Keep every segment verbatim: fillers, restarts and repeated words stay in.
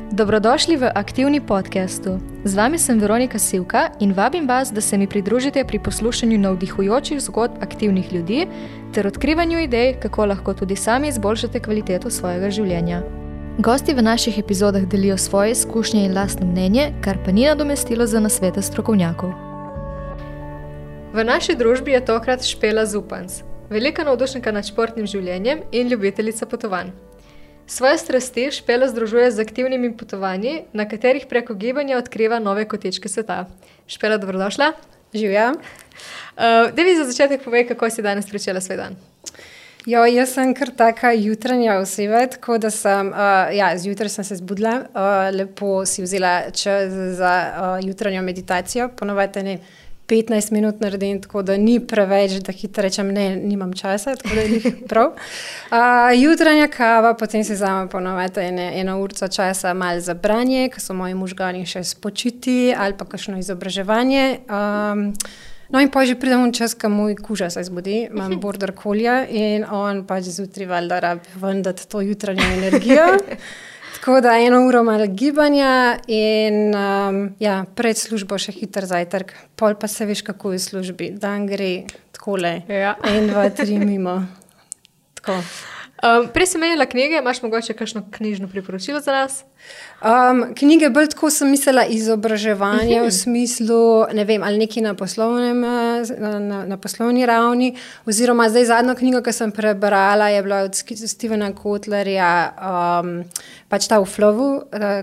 Dobrodošli v Aktivni podcastu. Z vami sem Veronika Sivka in vabim vas, da se mi pridružite pri poslušanju navdihujočih zgodb aktivnih ljudi ter odkrivanju idej, kako lahko tudi sami izboljšate kvaliteto svojega življenja. Gosti v naših epizodah delijo svoje izkušnje in lastno mnenje, kar pa ni nadomestilo za nasvete strokovnjakov. V naši družbi je tokrat Špela Zupanc, velika navdušenka nad športnim življenjem in ljubiteljica potovanj. Svoje strasti Špela združuje z aktivnimi potovanji, na katerih preko gibanja odkriva nove kotičke sveta. Špela, dobrodošla. Živja. Uh, Daj mi za začetek povej, kako si danes pričela svoj dan. Jo, jaz sem kar taka jutranja oseba, tako da sem, uh, ja, zjutraj sem se zbudila, uh, lepo si vzela čas za uh, jutranjo meditacijo, ponovadi ne petnajst minut naredim, tako da ni preveč, da hitro rečem, ne, nimam časa, tako da je prav. Uh, jutranja kava, potem se vzamem ponovadi ene, eno urco časa malo za branje, ko so moji možgani še spočiti, ali pa kakšno izobraževanje. Um, no in pa že pridem v čas, ko moj kuža se zbudi, imam border collie in on pač zjutraj valjda rabi ven dati to jutranjo energijo. Tako da eno uro malo gibanja in um, ja, pred službo še hiter zajtrk, pol pa se veš, kako je v službi. Dan gre takole, ja. En, dva, tri mimo. Tako. Um, prej si menila knjige, imaš mogoče kakšno knjižno priporočilo za nas? Um, knjige bolj tako sem mislila izobraževanje v smislu, ne vem, ali nekaj na poslovnem, na, na, na poslovni ravni, oziroma zdaj zadnjo knjigo, ki sem prebrala, je bila od Stephena Kotlerja, um, pač ta v flowu,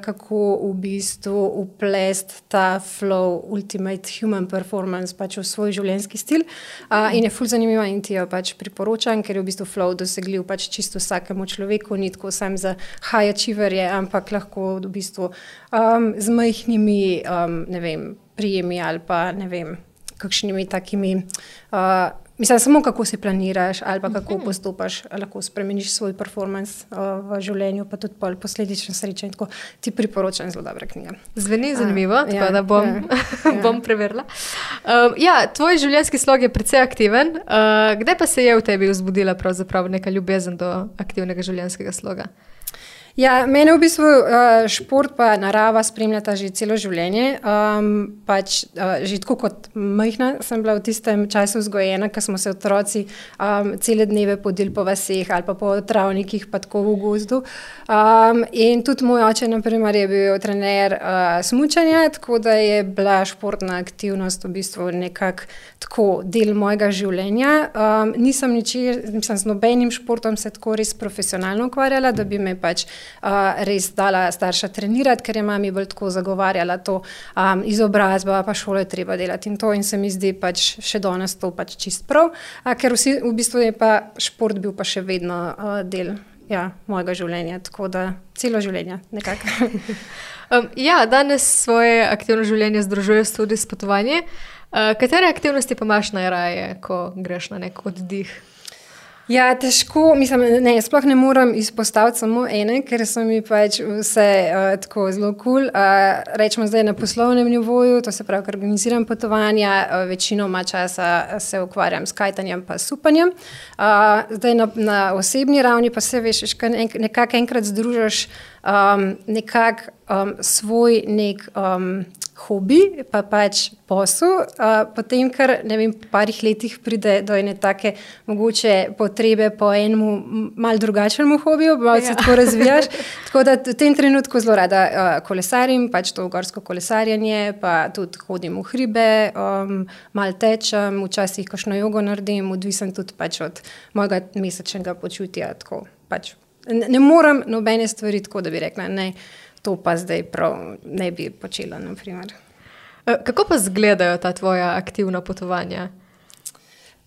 kako v bistvu uplest ta flow, ultimate human performance, pač v svoj življenjski stil. Uh, in je ful zanimiva in ti jo pač priporočam, ker je v bistvu flow dosegljiv pač čisto vsakemu človeku, ni tako sam za high achieverje, ampak lahko v bistvu um, z majhnimi, um, ne vem, prijemi ali pa, ne vem, kakšnimi takimi, uh, mislim, samo kako si planiraš ali pa kako postopaš, lahko spremeniš svoj performance uh, v življenju, pa tudi pol posledično sreča in tako ti priporočam zelo dobra knjiga. Zveni zanimivo, uh, tako ja, da bom, ja, bom preverila. Um, ja, tvoj življenjski slog je precej aktiven. Uh, kdaj pa se je v tebi vzbudila pravzaprav neka ljubezen do aktivnega življenjskega sloga? Ja, mene v bistvu uh, šport pa narava spremljata že celo življenje. Um, pač uh, že tako kot majhna sem bila v tistem času vzgojena, ko smo se otroci um, cele dneve podili po vaseh ali pa po travnikih, pa tako v gozdu. Um, in tudi moj oče, na primer, je bil trener uh, smučanja, tako da je bila športna aktivnost v bistvu nekako tako del mojega življenja. Um, nisem ničer, mislim, z nobenim športom se tako res profesionalno ukvarjala, da bi me pač Uh, res dala starša trenirati, ker je mami bolj tako zagovarjala to um, izobrazba, pa šolo je treba delati in to in se mi zdi pač še danes to pač čist prav, uh, ker vsi, v bistvu je pa šport bil pa še vedno uh, del ja, mojega življenja, tako da celo življenje nekako. um, ja, danes svoje aktivno življenje združuješ tudi s potovanjem. Uh, katere aktivnosti pa imaš najraje, ko greš na nek oddih? Ja, težko, mislim, ne, sploh ne moram izpostaviti samo ene, ker so mi pač vse uh, tako zelo cool. Uh, rečemo zdaj na poslovnem nivoju, to se pravi, ker organiziram potovanja, uh, večinoma časa se ukvarjam s kajtanjem pa supanjem. Uh, zdaj na, na osebni ravni pa se veš, nekako enkrat združaš um, nekako um, svoj nek um, hobi, pa pač posel, uh, potem, ker ne vem, po parih letih pride do ene take mogoče potrebe po enemu malo drugačnemu hobiju, malo se ja. Tako razvijaš. Tako da v tem trenutku zelo rada uh, kolesarim, pač to gorsko kolesarjenje, pa tudi hodim v hribe, um, malo tečem, včasih kakšno jogo naredim, odvisen tudi pač od mojega mesečnega počutja. Tako, pač. Ne, ne moram nobene stvari tako, da bi rekla, ne, to pa zdaj prav ne bi počela, na primer. Kako pa izgledajo ta tvoja aktivna potovanja?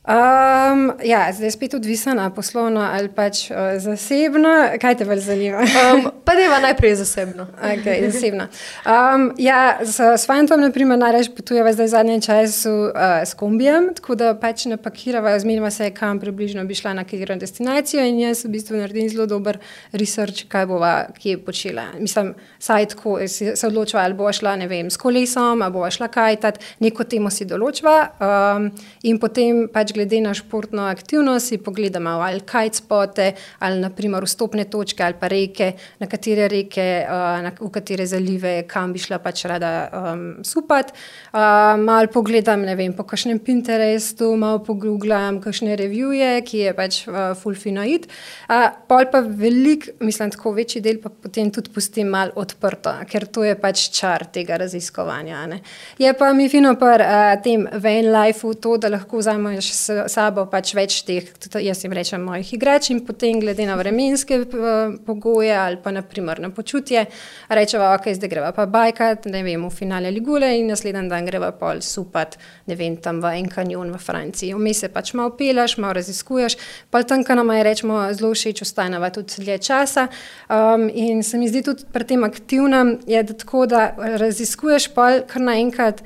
Um, ja, zdaj spet odvisna poslovno ali pač uh, zasebno. Kaj te bolj zanima? um, pa deva najprej zasebno. Ok, zasebno. Um, ja, s, s fantom, na primer, najraje potujeva zdaj v zadnjem času uh, s kombijem, tako da pač napakirava, zmenima se, kam približno bi šla na katero destinacijo in jaz v bistvu naredim zelo dober research, kaj bova kje počela. Mislim, saj tako se odločila, ali bova šla, ne vem, s kolesom, ali bova šla kajtat, neko temo si določva um, in potem pač glede na športno aktivnost si pogledamo ali kite spote, ali naprimer vstopne točke ali pa reke, na katere reke, uh, na, v katere zalive, kam bi šla pač rada um, supat. Uh, malo pogledam, ne vem, po kakšnem Pinterestu, malo pogooglam kakšne reviewje, ki je pač uh, ful fino it. Uh, pol pa velik, mislim, tako večji del pa potem tudi pustim malo odprto, ker to je pač čar tega raziskovanja. Ne. Je pa mi fino par uh, tem van life-u to, da lahko vzameš s sabo pač več teh, jaz jim rečem, mojih igrač in potem glede na vremenske uh, pogoje ali pa naprimer na počutje, rečeva, ok, zdaj greva pa bajkat, ne vem, v finale Ligule in naslednji dan greva pol supat, ne vem, tam v en kanjon v Franciji. Vmes se pač malo pelaš, malo raziskuješ, pol tam, kar nama je, rečemo, zelo všeč, ostaneva tudi dlje časa um, in se mi zdi tudi pri tem aktivnem, je da tako, da raziskuješ pol kar naenkrat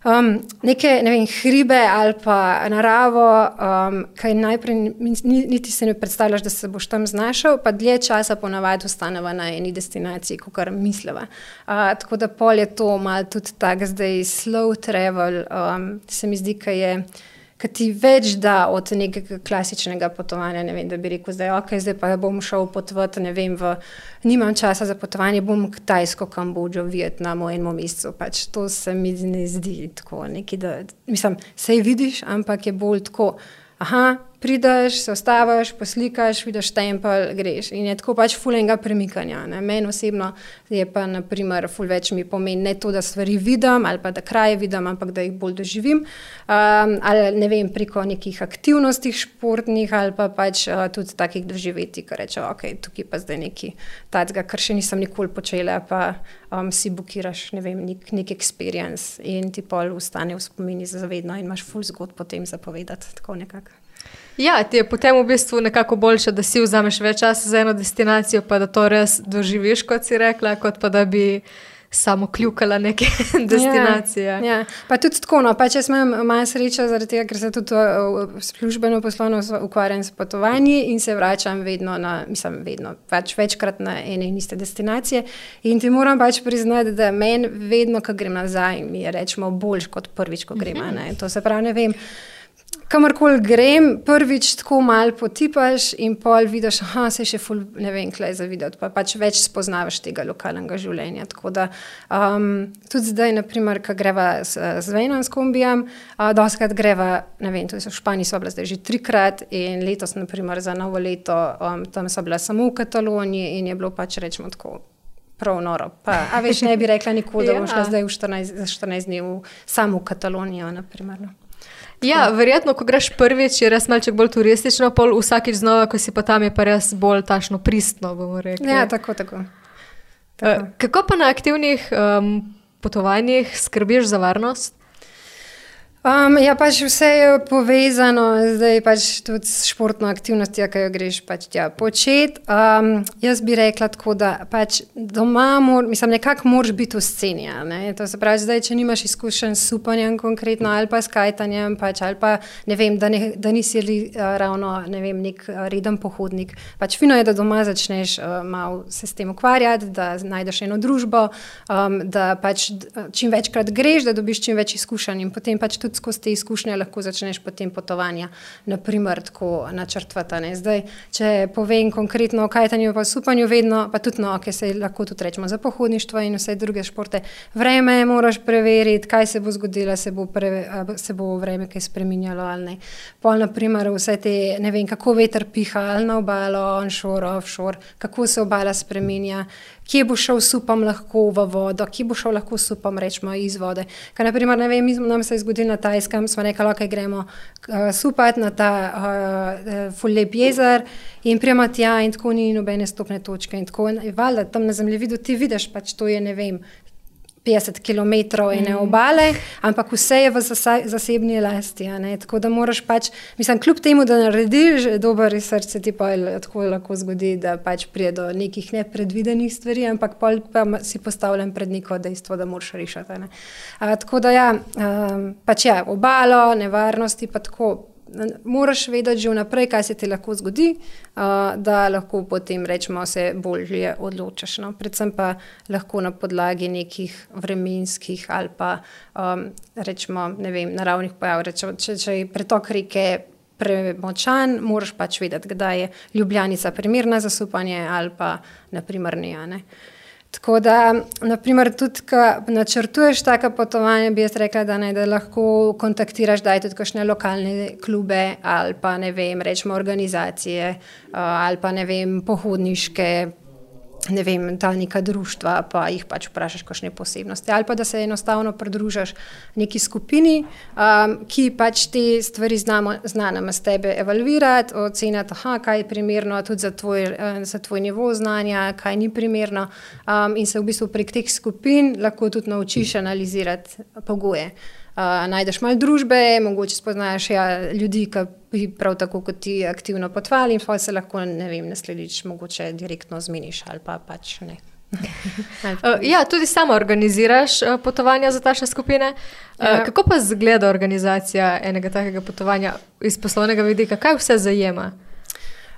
um, neke, ne vem, hribe ali pa naravo, um, kaj najprej niti se ne predstavljaš, da se boš tam znašel, pa dlje časa ponavadi ostaneva na eni destinaciji, kakor misleva. Uh, tako da pol je to malo tudi tak zdaj slow travel, um, se mi zdi, kaj je ki ti več da od nekega klasičnega potovanja, ne vem, da bi rekel zdaj, ok, zdaj pa bom šel potovati, ne vem, v, nimam časa za potovanje, bom Kitajsko, Kambodžo, Vietnamo enemu mesecu, pač to se mi ne zdi tako neki, da, mislim, sej vidiš, ampak je bolj tako, aha, prideš, se ostaviš, poslikaš, vidiš tempelj, greš in je tako pač ful enega premikanja. Ne. Meni osebno je pa, naprimer, ful več mi pomeni ne to, da stvari vidim ali pa da kraje vidim, ampak da jih bolj doživim. Um, ali ne vem, preko nekih aktivnosti športnih ali pa pač uh, tudi takih doživetij, ko rečem, ok, tukaj pa zdaj neki tacga, kar še nisem nikoli počela, pa um, si bukiraš, ne vem, nek, nek experience in ti pol ustane v spomini zavedno in imaš ful zgodb potem zapovedati, tako nekako. Ja, ti je potem v bistvu nekako boljše, da si vzameš več časa za eno destinacijo, pa da to res doživiš, kot si rekla, kot pa da bi samo kljukala neke destinacije. Ja, ja. Pa tudi tako, no, pač jaz imam malo srečo zaradi tega, ker se tudi službeno poslovno ukvarjam s potovanji in se vračam vedno na, mislim, vedno, pač večkrat na ene in iste destinacije in ti moram pač priznati, da meni vedno, ko grem nazaj, mi je rečemo boljš kot prvič, ko grem, ne. To se pravi, ne vem, kamorkoli grem, prvič tako malo potipaš in pol vidiš, aha, se še ful, ne vem, klej za videti, pa pač več spoznavaš tega lokalnega življenja. Tako da um, tudi zdaj, naprimer, ko greva s, s Venom, s kombijem, uh, doskrat greva, ne vem, tudi v Španiji so bila zdaj že trikrat in letos, naprimer, za novo leto, um, tam so bila samo v Kataloniji in je bilo pač, rečemo tako, prav noro. Pa, a veš, ne bi rekla nikoli, da bom šla zdaj v štirinajst, za štirinajst dni v, samo v Katalonijo, naprimer, no. Ja, verjetno, ko greš prvič, je res malček bolj turistično, pol vsakič znova, ko si pa tam, je pa res bolj tašno pristno, bomo rekli. Ja, tako, tako. tako. Kako pa na aktivnih um, potovanjih skrbiš za varnost? Um, ja, pač vse je povezano, zdaj pač tudi s športno aktivnostjo, ki jo greš pač tja početi. Um, jaz bi rekla tako, da pač doma, mor, mislim, nekako moraš biti v sceni, ne? To se pravi, zdaj, če nimaš izkušenj s supanjem konkretno ali pa s kajtanjem, pač, ali pa, ne vem, da, ne, da nisi uh, ravno, ne vem, nek uh, reden pohodnik. Pač fino je, da doma začneš uh, malo se s tem ukvarjati, da najdeš eno družbo, um, da pač čim večkrat greš, da dobiš čim več izkušenj in potem pač tudi skozi te izkušnje lahko začneš potem potovanja, naprimer tako načrtvati. Ne. Zdaj, če povem konkretno o kajtanju pa supanju, vedno, pa tudi no, ki se lahko tudi rečemo za pohodništvo in vse druge športe, vreme moraš preveriti, kaj se bo zgodilo, se bo, pre, se bo vreme kaj spreminjalo ali ne. Pol, naprimer, vse te, ne vem, kako veter piha, ali na obalo, onshore, offshore, kako se obala spreminja, kje bo šel supam lahko v vodo, kje bo šel lahko supam, rečemo, iz vode. Kaj, naprimer, ne vem, nam se je zgodilo na Tajskem, smo rekli, ok, gremo uh, supati na ta uh, ful lep jezer in prijemo tja in tako ni nobene stopne točke in tako. In valjda, tam na zemljevidu ti vidiš, pač to je, ne vem, petdeset kilometrov ene obale, ampak vse je v zasebni lasti, ne, tako da moraš pač, mislim, kljub temu, da narediš dober research, se ti pa tako lahko zgodi, da pač prije do nekih nepredvidenih stvari, ampak pol pa si postavljen pred neko dejstvo, da moraš rešiti, ne. A, tako da ja, um, pač ja, obalo, nevarnosti, pa tako moraš vedeti že vnaprej, kaj se ti lahko zgodi, uh, da lahko potem rečemo se bolje odločaš. No? Predvsem pa lahko na podlagi nekih vremenskih ali pa um, rečemo, ne vem, naravnih pojav. Rečemo, če, če je pretok reke premočan, moraš pač vedeti, kdaj je Ljubljanica primerna za supanje ali pa naprimer ne, ne. Tako da, naprimer, tudi, ko načrtuješ taka potovanja, bi jaz rekla, da, ne, da lahko kontaktiraš, daj tudi kakšne lokalne klube ali pa, ne vem, rečemo organizacije ali pa, ne vem, pohodniške, ne vem, ta neka društva, pa jih pač vprašaš kakšne posebnosti. Ali pa, da se enostavno pridružaš neki skupini, um, ki pač te stvari znamo, zna nam s tebe evalvirati, oceniti, aha, kaj je primerno tudi za tvoj, za tvoj nivo znanja, kaj ni primerno, um, in se v bistvu prek teh skupin lahko tudi naučiš analizirati pogoje. Uh, najdeš malo družbe, mogoče spoznaš ja, ljudi, ki bi prav tako kot ti aktivno potovali in pa se lahko, ne vem, nasledič mogoče direktno zmeniš ali pa pač ne. uh, ja, tudi sama organiziraš uh, potovanja za tašne skupine. Uh, ja. Kako pa zgleda organizacija enega takega potovanja iz poslovnega vidika? Kaj vse zajema?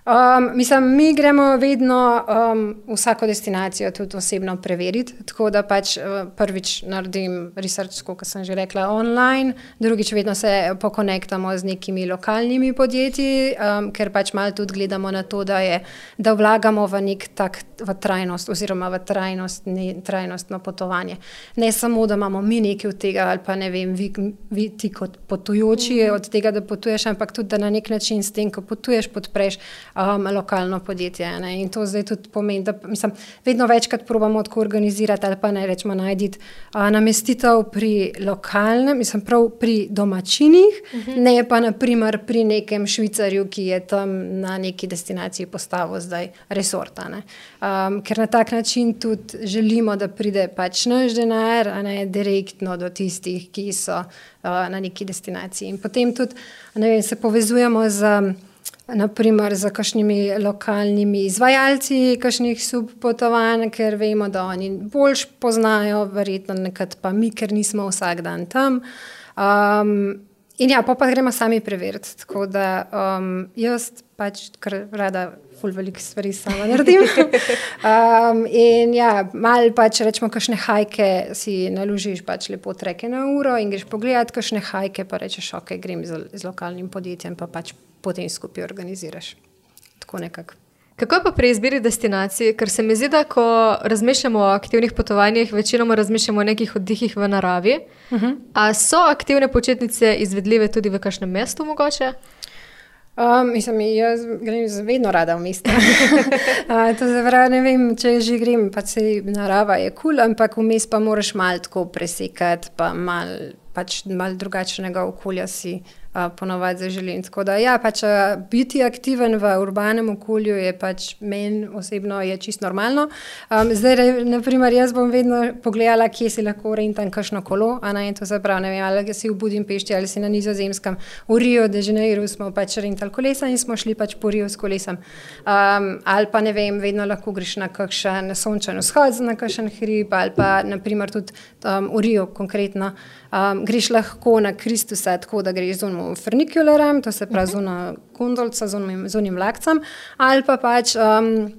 Um, mislim, mi gremo vedno um, vsako destinacijo tudi osebno preveriti, tako da pač uh, prvič naredim research, kot sem že rekla, online, drugič vedno se pokonektamo z nekimi lokalnimi podjetji, um, ker pač malo tudi gledamo na to, da, je, da vlagamo v nek tak v trajnost oziroma v trajnost, ne, trajnostno potovanje. Ne samo, da imamo mi nekaj od tega ali pa ne vem, vi, vi ti kot potujoči mm. od tega, da potuješ, ampak tudi, da na nek način s tem, ko potuješ, podpreš Um, lokalno podjetje. Ne? In to zdaj tudi pomeni, da mislim, vedno večkrat probamo tako organizirati ali pa ne rečemo najditi uh, namestitev pri lokalnem, mislim prav pri domačinih, uh-huh. ne pa naprimer pri nekem Švicarju, ki je tam na neki destinaciji postavil zdaj resorta. Ne? Um, ker na tak način tudi želimo, da pride pač naš denar, a ne direktno do tistih, ki so uh, na neki destinaciji. In potem tudi, ne vem, se povezujemo z naprimer za kakšnimi lokalnimi izvajalci kakšnih subpotovanj, ker vemo, da oni boljš poznajo, verjetno nekad pa mi, ker nismo vsak dan tam. Um, in ja, pa pa gremo sami preveriti, tako da um, jaz pač kar rada ful veliko stvari sama naredim. um, in ja, malo pač rečemo, kakšne hajke si naložiš pač lepo treke na uro in greš pogledati kakšne hajke, pa rečeš, ok, grem z, z lokalnim podjetjem, pa pač potem skupaj organiziraš. Tako nekako. Kako je pa pri izbiri destinacij? Ker se mi zdi, da ko razmišljamo o aktivnih potovanjih, večinoma razmišljamo o nekih oddihih v naravi. Uh-huh. A so aktivne počitnice izvedljive tudi v kakšnem mestu mogoče? Um, mislim, jaz grem vedno rada v mesto. uh, to zavraj, ne vem, če že grem, pa se narava je kul, cool, ampak vmes pa moraš malo tako presekati, pa malo pač mal drugačnega okolja si uh, ponovadi zaželim. Tako da ja, pač uh, biti aktiven v urbanem okolju je pač meni osebno je čisto normalno. Um, zdaj, naprimer, jaz bom vedno pogledala, kje si lahko rentam kakšno kolo, a ne, to se pravi, ne vem, ali si v Budimpešti ali si na Nizozemskem. V Rio de Janeiro smo pač rentali kolesa in smo šli pač po Rio s kolesom. Um, ali pa ne vem, vedno lahko greš na kakšen sončen vzhod, na kakšen hrib, ali pa naprimer tudi um, v Rio konkretno. Um, greš lahko na Kristusa, tako da greš z onim funicularjem, to se pravi z ono gondolco, z onim, z onim vlakcem, ali pa pač um,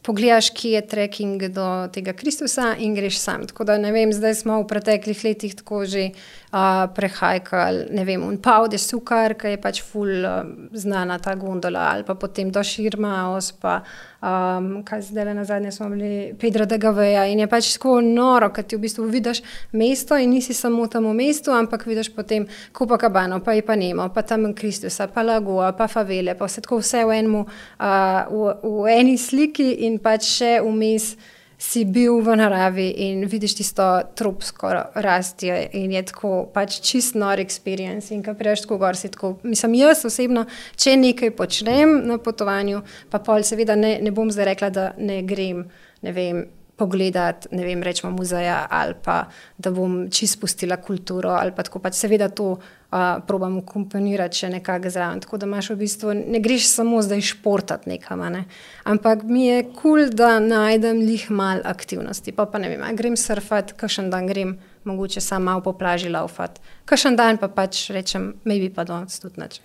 pogledaš, kje je trekking do tega Kristusa in greš sam. Tako da ne vem, zdaj smo v preteklih letih tako že uh, prehajkali, ne vem, un Pau de Sukar, ki je pač ful uh, znana ta gondola, ali pa potem do Širmaos, pa um, kaj zdaj na zadnje smo bili, Pedro de Gaveja in je pač tako noro, kad ti v bistvu vidiš mesto in nisi samo tam v mestu, ampak vidiš potem Copacabano, pa Ipanemo, pa tam Kristusa, pa Lagoa, pa favele, pa vse tako vse v enemu, uh, v, v eni sliki in pač še vmes si bil v naravi in vidiš tisto tropsko rastje in je tako pač čist nor experience in ko priješ tako gor si tako, mislim jaz osebno, če nekaj počnem na potovanju, pa pol seveda ne, ne bom zdaj rekla, da ne grem, ne vem, pogledati, ne vem, rečemo muzeja ali pa, da bom čist pustila kulturo ali pa tako pač seveda to uh, probam komponirati še nekako zraven, tako da imaš v bistvu, ne greš samo zdaj športati nekam, ne? Ampak mi je kul, cool, da najdem lih mal aktivnosti, pa pa ne vem, grem surfati, kakšen dan grem mogoče sam malo po plaži laufati. Kakšen dan pa pač rečem, maybe pa danes tudi nič.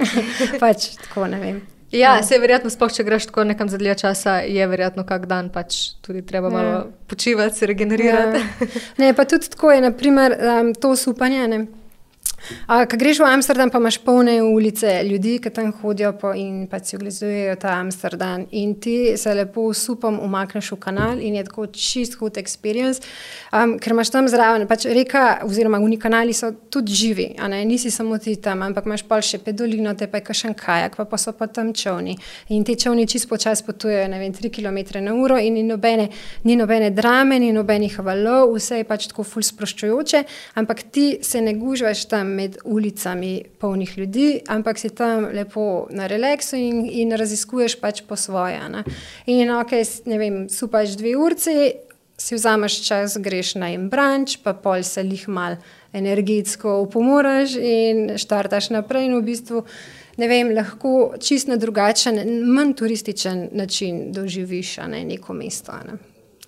Pač tako, ne vem. Ja, se je verjetno, sploh če greš tako nekam za dlje časa, je verjetno kak dan pač tudi treba malo ja. počivati, se regenerirati. Ja. Ne, pa tudi tako je, naprimer, um, to supanje, ne. A, ko greš v Amsterdam, pa imaš polne ulice ljudi, ki tam hodijo po in pa si ogledujejo ta Amsterdam in ti se lepo s supom umakneš v kanal in je tako čist hud experience, um, ker imaš tam zraven, pač reka oziroma uni kanali so tudi živi, a ne, nisi samo ti tam, ampak imaš pol še pedolino, te pa je kakšen kajak, pa, pa so pa tam čovni in ti čovni čist počas potujejo, ne vem, tri kilometre na uro in ni nobene, ni nobene drame, ni nobenih valov, vse je pač tako ful sproščujoče, ampak ti se ne gužvaš tam med ulicami polnih ljudi, ampak si tam lepo na relaksu in, in raziskuješ pač po svoje. Ne? In ok, ne vem, supaš dve urci, si vzameš čas, greš na en branč, pa pol se lih mal energetsko upomoraš in štartaš naprej in v bistvu, ne vem, lahko čist na drugačen, manj turističen način doživiš, a ne, neko mesto, ne.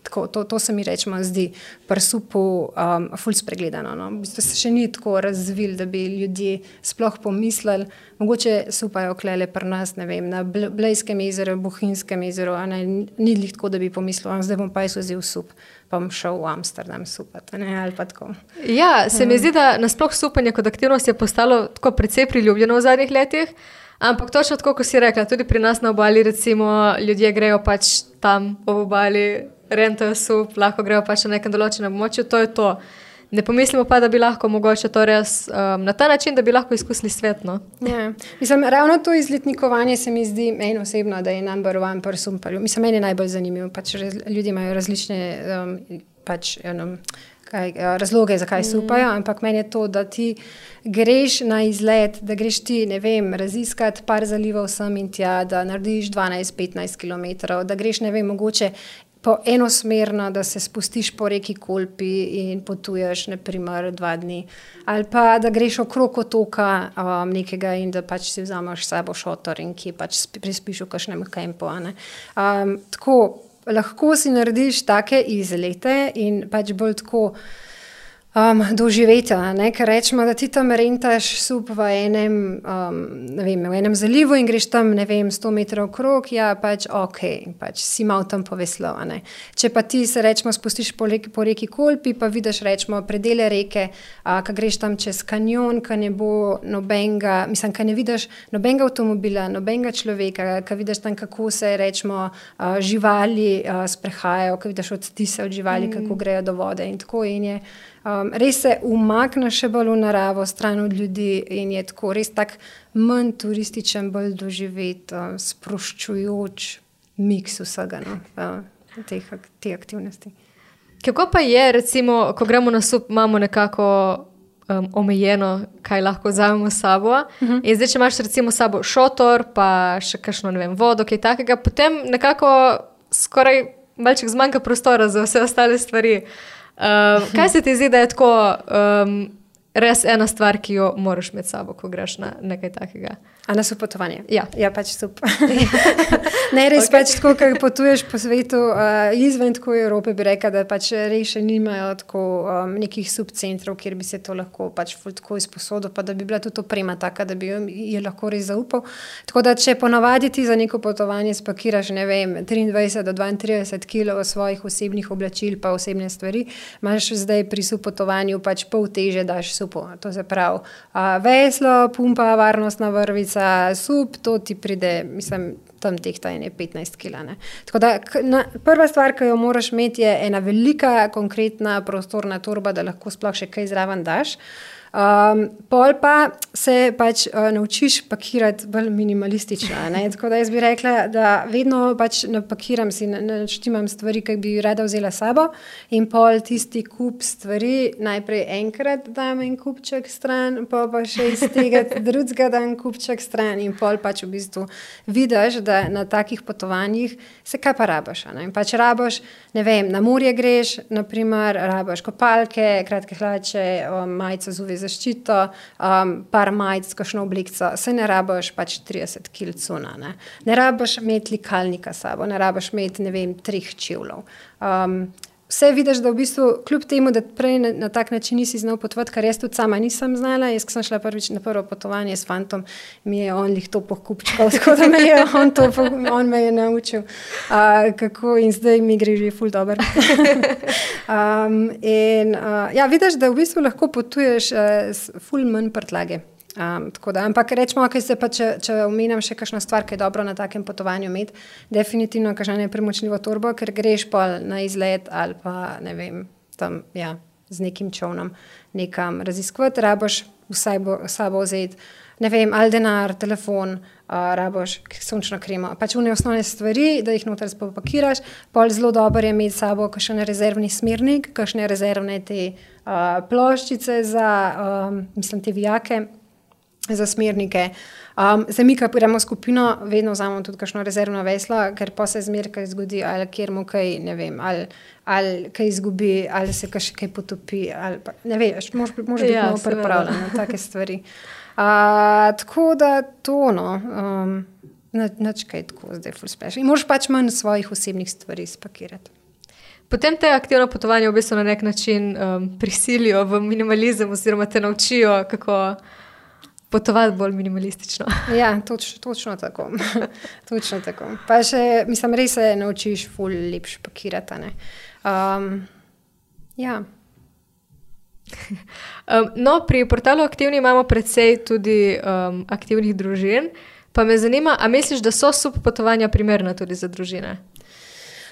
Tako, to, to se mi rečemo zdi pri supu um, ful spregledano. No? V bistvu se še ni tako razvil, da bi ljudje sploh pomislili. Mogoče supajo klele pri nas, ne vem, na Blejskem jezeru, Bohinjskem jezeru, a ne, ni lih tako, da bi pomislil, zdaj bom pa jaz vzel sup, pa bom šel v Amsterdam supati, ne, ali pa tako. Ja, se mi zdi, da nasploh supanje kot aktivnost je postalo tako precej priljubljeno v zadnjih letih, ampak točno tako, ko si rekla, tudi pri nas na obali, recimo, ljudje grejo pač tam v obali, rentajo sup, lahko grejo pač na nekem določenem območju, to je to. Ne pomislimo pa, da bi lahko mogoče to res um, na ta način, da bi lahko izkusili svet, no. Ja, mislim, ravno to izletnikovanje se mi zdi meni osebno, da je number one pri sumparju. Mislim, meni je najbolj zanimivo, pač ljudje imajo različne um, pač, um, kaj, razloge, zakaj supajo, ampak meni je to, da ti greš na izlet, da greš ti, ne vem, raziskati par zalivov sem in tja, da narediš dvanajst petnajst kilometrov, da greš, ne vem, mogoče po enosmerno, da se spustiš po reki Kolpi in potuješ, na primer, dva dni. Ali pa, da greš okrog otoka um, nekega in da pač si vzameš s sabo šotor in ki pač prespiš v kakšnem kempu. Um, tako, lahko si narediš take izlete in pač bolj tako Um, doživeti, ne, ker rečemo, da ti tam rentaš sup v enem, um, ne vem, v enem zalivu in greš tam, ne vem, sto metrov okrog, ja, pač ok, pač si mal tam poveslal, ne. Če pa ti se, rečemo, spustiš po reki, po reki Kolpi, pa vidiš, rečemo, predele reke, a, ka greš tam čez kanjon, ka ne bo nobenga, mislim, ka ne vidiš nobenga avtomobila, nobenga človeka, ka vidiš tam, kako se, rečemo, a, živali a, sprehajajo, ka vidiš odtise od živali, mm. kako grejo do vode in tako in je. Um, res se umakne še bolj v naravo, stran od ljudi in je tako res tak manj turističen, bolj doživet, uh, sproščujoč miks vsega, no, uh, teh, te aktivnosti. Kako pa je, recimo, ko gremo na sup, imamo nekako um, omejeno, kaj lahko vzamemo s sabo uh-huh. in zdaj, če imaš recimo s sabo šotor, pa še kakšno, ne vem, vodo, kaj takega, potem nekako skoraj malček zmanjka prostora za vse ostale stvari. Uh, kaj se ti zdi, da je tako um, res ena stvar, ki jo moraš med sabo, ko greš na nekaj takega? A na supotovanje? Ja. Ja, pač sup. Ne, res okay. Pač tako, ko potuješ po svetu, uh, izven tako Evrope bi rekla, da pač res še nimajo tako um, nekih subcentrov, kjer bi se to lahko pač tako izposodil, pa da bi bila tudi oprema taka, da bi je lahko res zaupal. Tako da, če ponavadi ti za neko potovanje spakiraš, ne vem, triindvajset do dvaintrideset kilov svojih osebnih oblačil pa osebne stvari, imaš zdaj pri supotovanju pač pol teže daš supu. To se pravi, uh, veslo, pumpa, varnostna vrvica, sup, to ti pride, mislim, tam tehta ene petnajst kila. Tako da, na, prva stvar, ki jo moraš imeti, je ena velika, konkretna prostorna torba, da lahko sploh še kaj zraven daš. Um, pol pa se pač uh, naučiš pakirati bolj minimalistično. Ne? Tako da jaz bi rekla, da vedno pač napakiram si, naštimam stvari, ki bi rada vzela sabo in pol tisti kup stvari najprej enkrat dam en kupček stran, pa pa še iz tega drugega dam kupček stran in pol pač v bistvu vidiš, da na takih potovanjih se kaj pa rabaš. Ne? Pač rabaš, ne vem, na morje greš, naprimer, rabaš kopalke, kratke hlače, majico z U V zaščito, um, par majic, kakšno oblikico, se ne rabaš pač trideset kil cuna, ne. Ne rabaš imeti likalnika sabo, ne rabaš imeti, ne vem, treh čevljev. Um, vse vidiš, da v bistvu, kljub temu, da prej na, na tak način nisi znal potovati, kar jaz tudi sama nisem znala, jaz, ko sem šla prvič na prvo potovanje s fantom, mi je on lih to pokupčkal, tako da me je on to, on me je naučil, uh, kako in zdaj mi gre že ful dober. um, in uh, ja, vidiš, da v bistvu lahko potuješ uh, s ful manj prtljage. Um, tako da, ampak rečemo, okay, se pa, če, če omenjam še kakšno stvar, ki je dobro na takem potovanju imeti, definitivno kakšno nepremočljivo torbo, ker greš pol na izlet ali pa, ne vem, tam, ja, z nekim čovnom nekam raziskovati, raboš vsaj bo, sabo vzeti, ne vem, ali denar, telefon, uh, raboš sončno kremo, pač une osnovne stvari, da jih noter spopakiraš, pol zelo dobro je imeti sabo kakšen rezervni smernik, kakšne rezervne te uh, ploščice za, um, mislim, te vijake, za smernike. Um, za mi, ko gremo skupino, vedno vzamemo tudi kakšno rezervno veslo, ker pa se zmer kaj zgodi, ali kjer mu kaj, ne vem, ali, ali kaj izgubi, ali se kaj, kaj potopi, ali pa, ne veš, moraš biti ja, malo pripravljen na take stvari. Uh, tako da to, no, um, nič kaj tako zdaj ful special. In moraš pač manj svojih osebnih stvari spakirati. Potem te aktivno potovanje v bistvu na nek način um, prisilijo v minimalizem oziroma te naučijo, kako potovati bolj minimalistično. Ja, toč, točno tako. točno tako. Pa še, mislim, res se naučiš ful lepš pakirati, ne. Um, ja. um, no, pri portalu Aktivni imamo precej tudi um, aktivnih družin, pa me zanima, a misliš, da so sup potovanja primerna tudi za družine?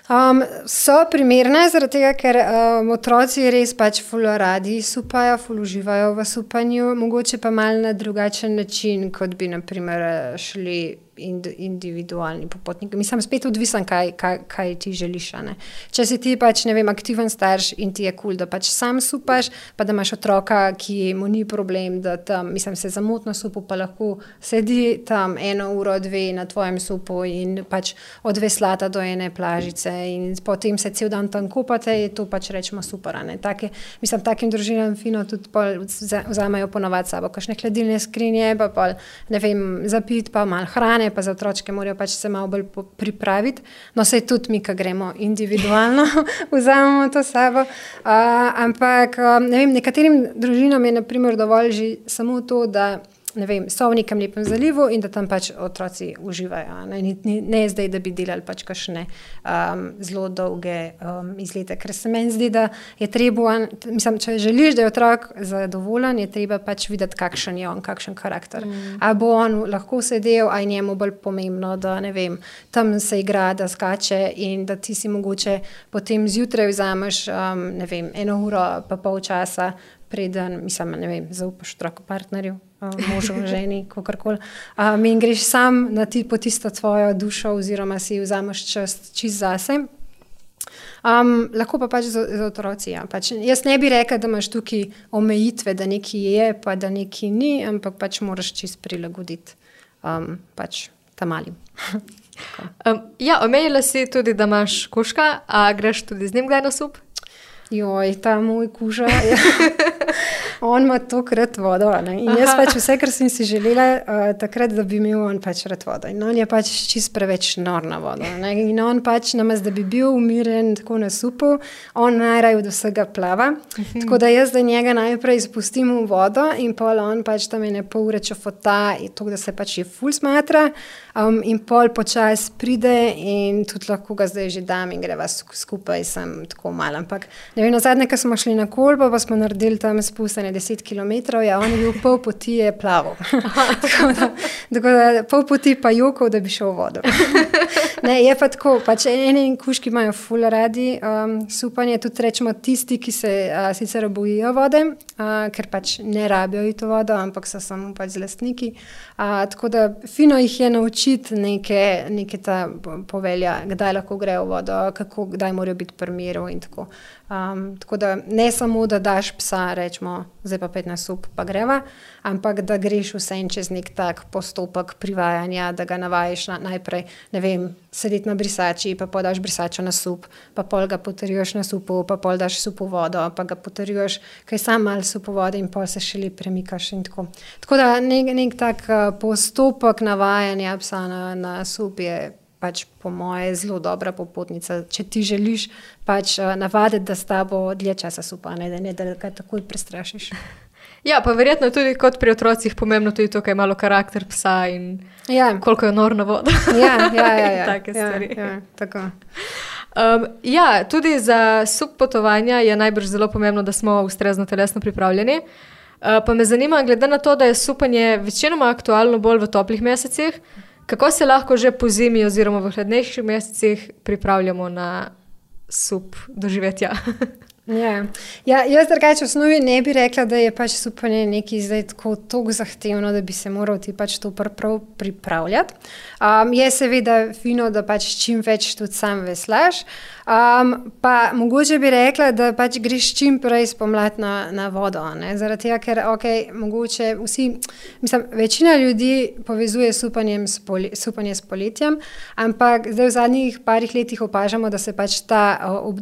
Um, so primerne, zaradi tega, ker um, otroci res pač ful radi supajo, ful uživajo v supanju, mogoče pa mal na drugačen način, kot bi naprimer šli individualni popotniki. Mislim, spet odvisen, kaj, kaj, kaj ti želiš. Ne? Če si ti pač, ne vem, aktiven starš in ti je kul, cool, da pač sam supaš, pa da imaš otroka, ki mu ni problem, da tam, mislim, se zamotno supu, pa lahko sedi tam eno uro, dve na tvojem supu in pač od veslata do ene plažice in potem se cel dan tam kupate, je to pač rečemo super. Ne? Take, mislim, takim družinam fino tudi pol vzamejo ponovati sabo, kakšne hladilne skrinje, pa pol, ne vem, zapit, pa malo hrane, pa za otročke morajo pač se malo bolj pripraviti. No, sej tudi mi, ko gremo individualno, vzamemo to sabo. Uh, ampak, ne vem, nekaterim družinam je naprimer dovolj že samo to, da ne vem, so v nekem lepem zalivu in da tam pač otroci uživajo. Ne, ne, ne zdaj, da bi delali pač kakšne um, zelo dolge um, izlete, ker se meni zdi, da je treba, mislim, če želiš, da je otrok zadovoljen, je treba pač videti, kakšen je on, kakšen karakter. Mm. A bo on lahko sedel, a je njemu bolj pomembno, da ne vem, tam se igra, da skače in da ti si mogoče potem zjutraj vzameš, um, ne vem, eno uro pa pol časa preden, mislim, ne vem, zaupaš otroku partnerju, možu, ženi, kakorkoli. Um, in greš sam na ti, po tisto tvojo dušo oziroma si vzameš čas čist zase. Um, lahko pa pač za, za otroci, ja. Pač, jaz ne bi rekla, da imaš tukaj omejitve, da nekaj je, pa da nekaj ni, ampak pač moraš čist prilagoditi um, pač tam malim. um, ja, omenila si tudi, da imaš kužka, a greš tudi z njim kdaj na sup? Joj, ta moj kuža, ja. On ima tokrat vodo. Ne? In jaz pač vse, kar sem si želela, uh, takrat, da bi imel on pač rad vodo. In on je pač čist preveč nor na vodo. Ne? In on pač, namest, da bi bil umiren tako na supu, on najraje od vsega plava. Mhm. Tako da jaz da njega najprej spustim v vodo in pol on pač tam ene pol ure čofota, to, da se pač je ful smatra. Um, in pol počas pride in tudi lahko ga zdaj že dam in greva skupaj, sem tako mal. Ampak ne vem, nazadnje, ko smo šli na Kolbo, pa smo naredili tam spustanje deset kilometrov, ja, on je bil pol poti je plaval. tako, da, tako da pol poti pa jokal, da bi šel v vodo. Ne, je pa tako, pač eni kužki imajo ful radi um, supanje, tudi rečemo tisti, ki se uh, sicer bojijo vode, uh, ker pač ne rabijo ito vodo, ampak so samo pač z lastniki. Uh, tako da fino jih je naučiti neke, neke ta povelja, kdaj lahko grejo v vodo, kako, kdaj morajo biti pri miru in tako. Um, tako da ne samo, da daš psa, rečemo, zdaj pa pet na sup, pa greva, ampak da greš vsem čez nek tak postopek privajanja, da ga navajaš na, najprej, ne vem, sedeti na brisači, pa podaš brisačo na sup, pa pol ga potrjuješ na supu, pa pol daš supu vodo, pa ga potrjuješ, kaj sam malo supu vode in pol se šele premikaš in tako. Tako da nek, nek tak postopek navajanja psa na, na sup je pač po moje zelo dobra popotnica, če ti želiš pač navaditi, da s tabo dlje časa supa, ne, da ne da ga takoj prestrašiš. Ja, pa verjetno tudi kot pri otrocih pomembno tudi to, kaj je malo karakter psa in ja. Koliko je norna voda. Ja, ja, ja. ja. Take stvari. Ja, ja, tako. Um, ja, tudi za sup potovanja je najbrž zelo pomembno, da smo ustrezno telesno pripravljeni. Uh, pa me zanima, glede na to, da je supanje večinoma aktualno bolj v toplih mesecih, kako se lahko že po zimi oziroma v hladnejših mesecih pripravljamo na sup doživetja? Ja. Ja, jaz drugače v osnovi ne bi rekla, da je pač supanje nekaj zdaj tako toliko zahtevno, da bi se moral ti pač to prav pripravljati. Um, je seveda fino, da pač čim več tudi sam veslaš, um, pa mogoče bi rekla, da pač greš čim prej spomladi na, na vodo, ne? Zaradi tega, ker ok, mogoče vsi, mislim, večina ljudi povezuje supanjem s poli, supanje s poletjem, ampak zdaj v zadnjih parih letih opažamo, da se pač ta,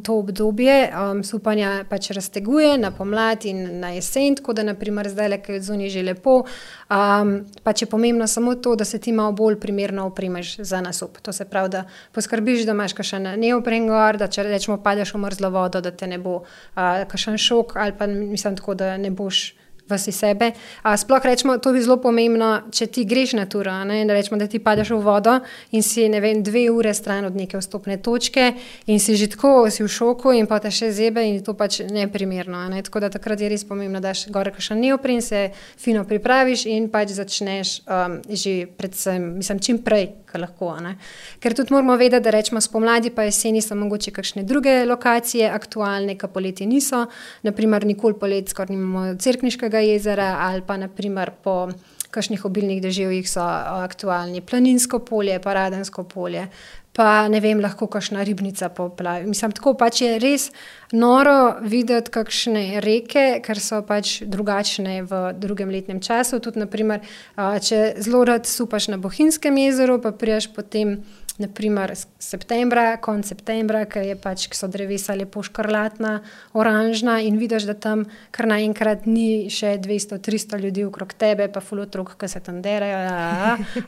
to obdobje um, supanja pač razteguje na pomlad in na jesen, tako da naprimer zdaj, ko je zunaj že lepo, um, pač je pomembno samo to, da se ti malo bolj primerno opremeš za nasup. To se pravi, da poskrbiš, da imaš kakšen neopren gor, da če rečemo padeš v mrzlo vodo, da te ne bo uh, kakšen šok ali pa mislim tako, da ne boš vasi sebe. A sploh rečemo, to bi zelo pomembno, če ti greš na turo, ne, da rečemo, da ti padeš v vodo in si, ne vem, dve ure stran od neke vstopne točke in si že tako, si v šoku in pa te še zebe in to pač neprimerno, ne, tako da takrat je res pomembno, da daš gore kakšen neopren, se fino pripraviš in pač začneš um, že predvsem, mislim, čim prej, kar lahko, ne. Ker tudi moramo vedeti, da rečemo spomladi pa jeseni so mogoče kakšne druge lokacije aktualne, ka poleti niso, naprimer nikoli polet skoraj nimamo Cerkniškega jezera ali pa naprimer po kakšnih obilnih deževjih so aktualni Planinsko polje, pa Radensko polje, pa ne vem, lahko kakšna ribnica poplavi. Mislim, tako pač je res noro videti kakšne reke, ker so pač drugačne v drugem letnem času. Tudi naprimer, če zelo rad supaš na Bohinjskem jezeru, pa priješ potem naprimer septembra, konec septembra, ker je pač, so drevesa lepo škrlatna, oranžna in vidiš, da tam kar naenkrat ni še dvesto tristo ljudi okrog tebe, pa ful otrok, ki se tam derajo,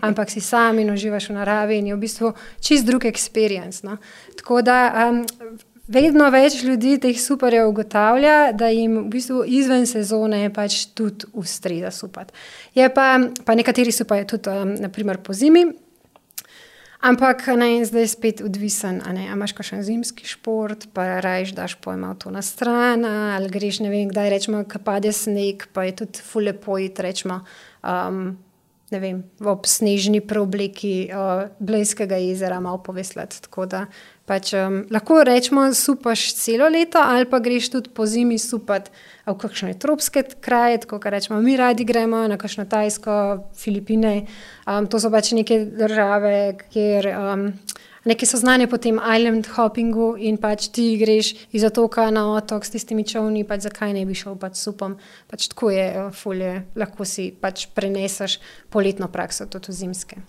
ampak si sam in uživaš v naravi in je v bistvu čist drug experience. No? Tako da um, vedno več ljudi teh superjev ugotavlja, da jim v bistvu izven sezone pač tudi ustreza supati. Je pa, pa nekateri supajo tudi um, naprimer po zimi, ampak ne, zdaj spet odvisen, a ne, a imaš kakšen zimski šport, pa rajš daš pojma to na stran, ali greš, ne vem, kdaj rečemo, ko pade sneg, pa je tudi ful lepo iti, rečemo, um, ne vem, ob snežni preobleki uh, Blejskega jezera malo poveslati, tako da pač um, lahko rečemo, supaš celo leto, ali pa greš tudi po zimi supati v kakšne tropske kraje, tako kar rečemo, mi radi gremo na kakšno Tajsko, Filipine, um, to so pač neke države, kjer um, neke so znane po tem island hoppingu in pač ti greš iz otoka na otok s tistimi čovni, pač zakaj ne bi šel pač supom, pač tako je fulje, lahko si pač preneseš poletno prakso, tudi v zimske.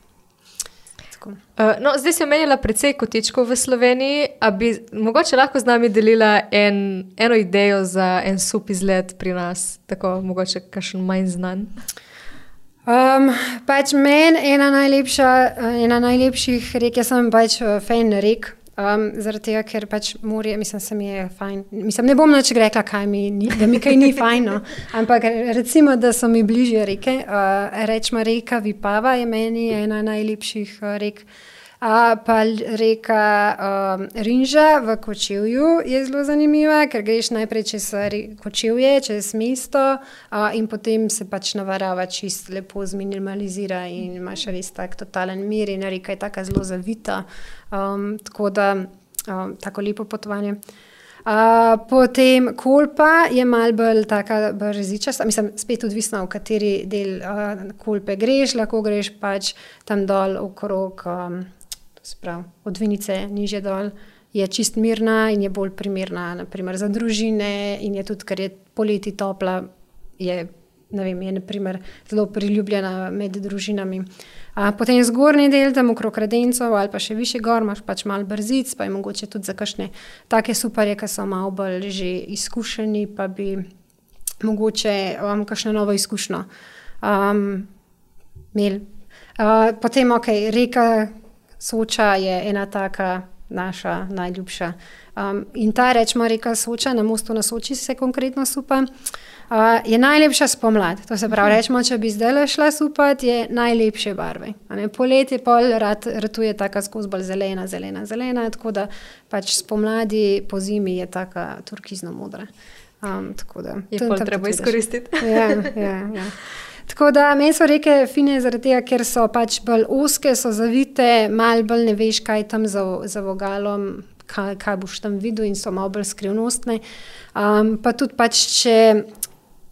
Uh, no, zdaj si omenila precej kotičkov v Sloveniji, a bi mogoče lahko z nami delila en, eno idejo za en sup izlet pri nas, tako mogoče kakšen manj znan? Um, pač meni ena najlepša, ena najlepših rek, jaz sem pač fan rek, um, zaradi tega, ker pač morje, mislim, se mi je fajn, mislim, ne bom nič rekla, kaj mi ni, da mi kaj ni fajn, no. Ampak recimo, da so mi bližje reke, uh, rečemo reka Vipava je meni ena najlepših uh, rek, A pa reka um, Rinža v Kočevju je zelo zanimiva, ker greš najprej čez Kočevje, čez mesto uh, in potem se pač navarava čist lepo zminimalizira in imaš res tak totalen mir in reka je taka zelo zavita, um, tako da um, tako lepo potovanje. Uh, potem Kolpa je malo bolj taka brzičasta, mislim, spet odvisno, v kateri del uh, Kolpe greš, lahko greš pač tam dol okrog um, Sprav, od Vinice nižje dol, je čist mirna in je bolj primerna naprimer za družine in je tudi, ker je poleti topla, je, ne vem, je naprimer zelo priljubljena med družinami. A, potem zgornji del, tam okrog Radencov ali pa še više gor, imaš pač malo brzic, pa je mogoče tudi za kakšne take superje, ki so malo bolj že izkušeni, pa bi mogoče um, kakšno novo izkušnjo um, imeli. Uh, potem, ok, reka Soča je ena taka naša najljubša. Um, in ta, rečemo, reka Soča, na mostu na Soči se konkretno supa, uh, je najlepša spomlad. To se pravi, rečemo, če bi zdaj šla supat, je najlepše barve. Poletje pol rad, ratuje taka skozi bolj zelena, zelena, zelena, tako da pač spomladi po zimi je taka turkizno modra. Um, tako da, je pol treba izkoristiti. Ja, ja, ja. Tako da, meni so reke fine zaradi tega, ker so pač bolj oske, so zavite, malo bolj ne veš, kaj tam za, za vogalom, kaj, kaj boš tam videl in so malo bolj skrivnostne. Um, pa tudi pač, če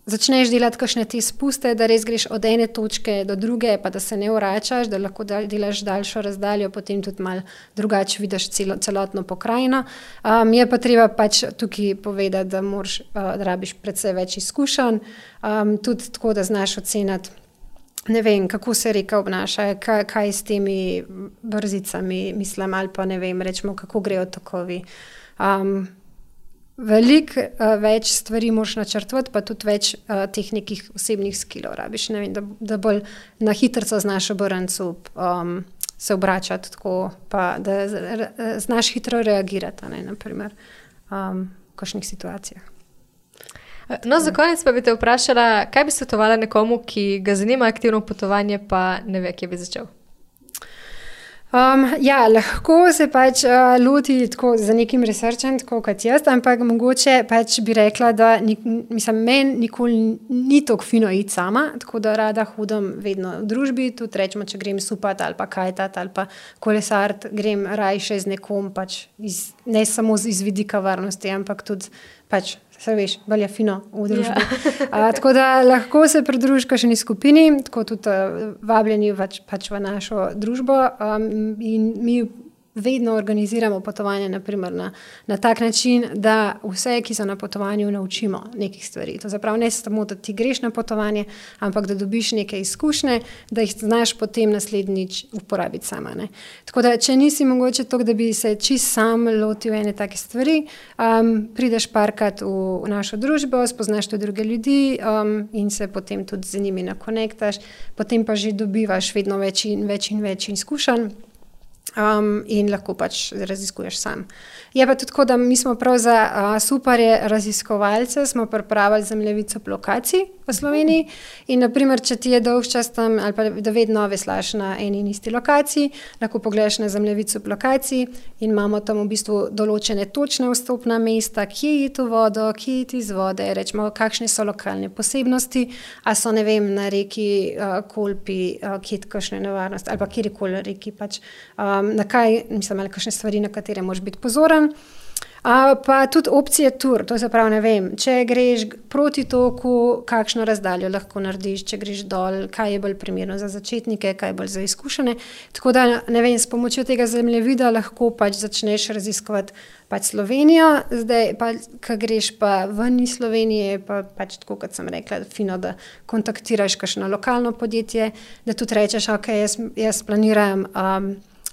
začneš delati kakšne te spuste, da res greš od ene točke do druge, pa da se ne vračaš, da lahko delaš daljšo razdaljo, potem tudi malo drugače vidiš celo, celotno pokrajino. Um, je pa treba pač tukaj povedati, da moraš, uh, da rabiš predvsej več izkušenj, um, tudi tako, da znaš oceniti, ne vem, kako se reka obnaša, kaj, kaj s temi brzicami, mislim, ali pa ne vem, rečemo, kako grejo tokovi. Um, Veliko uh, več stvari moraš načrtovati, pa tudi več uh, teh nekih osebnih skillov rabiš, ne vem, da, da bolj na hitrco znaš obrncu um, se obračati tako, pa da znaš hitro reagirati, ne, naprimer, um, v kakšnih situacijah. No, za konec pa bi te vprašala, kaj bi svetovala nekomu, ki ga zanima aktivno potovanje, pa ne ve, kje bi začel? Um, ja, lahko se pač uh, loti tako za nekim researchem, tako kot jaz, ampak mogoče pač bi rekla, da nik, mislim, meni nikoli ni tako fino iti sama, tako da rada hodim vedno v družbi, tudi rečemo, če grem supat ali pa kajtat ali pa kolesart, grem rajše z nekom, pač iz, ne samo iz vidika varnosti, ampak tudi pač, se veš, bolj je fino v družbi. Yeah. uh, tako da lahko se pridružiš kakšni skupini, tako tudi uh, vabljeni pač, pač v našo družbo um, in mi vedno organiziramo potovanje naprimer na, na tak način, da vse, ki so na potovanju, naučimo nekih stvari. To zapravo ne samo, da ti greš na potovanje, ampak da dobiš neke izkušnje, da jih znaš potem naslednjič uporabiti sama. Ne. Tako da, če nisi mogoče to, da bi se čist sam lotil ene take stvari, um, prideš parkrat v, v našo družbo, spoznaš tudi druge ljudi um, in se potem tudi z njimi nakonektaš, potem pa že dobivaš vedno več in več in več izkušenj. Um, in lahko pač raziskuješ sam. Je pa tudi tako, da mi smo prav za uh, superje raziskovalce smo pripravili zemljevico lokacij v Sloveniji in naprimer, če ti je dolg čas tam ali pa da vedno veslaš na eni in isti lokaciji, lahko pogledaš na zemljevico lokacij in imamo tam v bistvu določene točne vstopna mesta, kje je to vodo, kje je iz vode, rečemo, kakšne so lokalne posebnosti, a so, ne vem, na reki uh, Kolpi, uh, kje je kakšne nevarnosti, ali pa kjerikoli reki pač, um, na kaj, mislim, ali kakšne stvari, na katere moraš biti pozoren. Uh, pa tudi opcije tur, to se pravi, ne vem, če greš proti toku, kakšno razdaljo lahko narediš, če greš dol, kaj je bolj primerno za začetnike, kaj je bolj za izkušene. Tako da, ne vem, s pomočjo tega zemljevida lahko pač začneš raziskovati pač Slovenijo, zdaj pa, ko greš pa ven iz Slovenije, pa pač tako, kot sem rekla, fino, da kontaktiraš kakšno lokalno podjetje, da tudi rečeš, ok, jaz, jaz planiram um,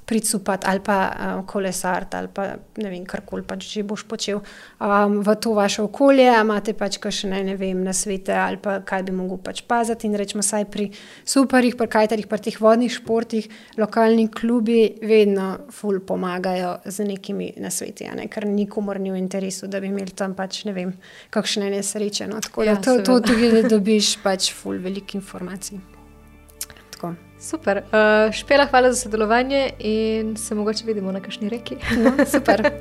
pricupati ali pa um, kolesart ali pa ne vem, karkoli pač že boš počel um, v to vaše okolje, a imate pač kakšne, ne vem, nasvete ali pa kaj bi mogel pač paziti in rečemo saj pri superih, pri kajtarjih, pri teh vodnih športih, lokalni klubi vedno ful pomagajo z nekimi nasveti, ne? Ker nikomor ni v interesu, da bi imeli tam pač, ne vem, kakšne nesreče, no? Tako da ja, to, to tudi da dobiš pač ful veliko informacij. Tako. Super. Uh, Špela, hvala za sodelovanje in se mogoče vidimo na kakšni reki. No, super.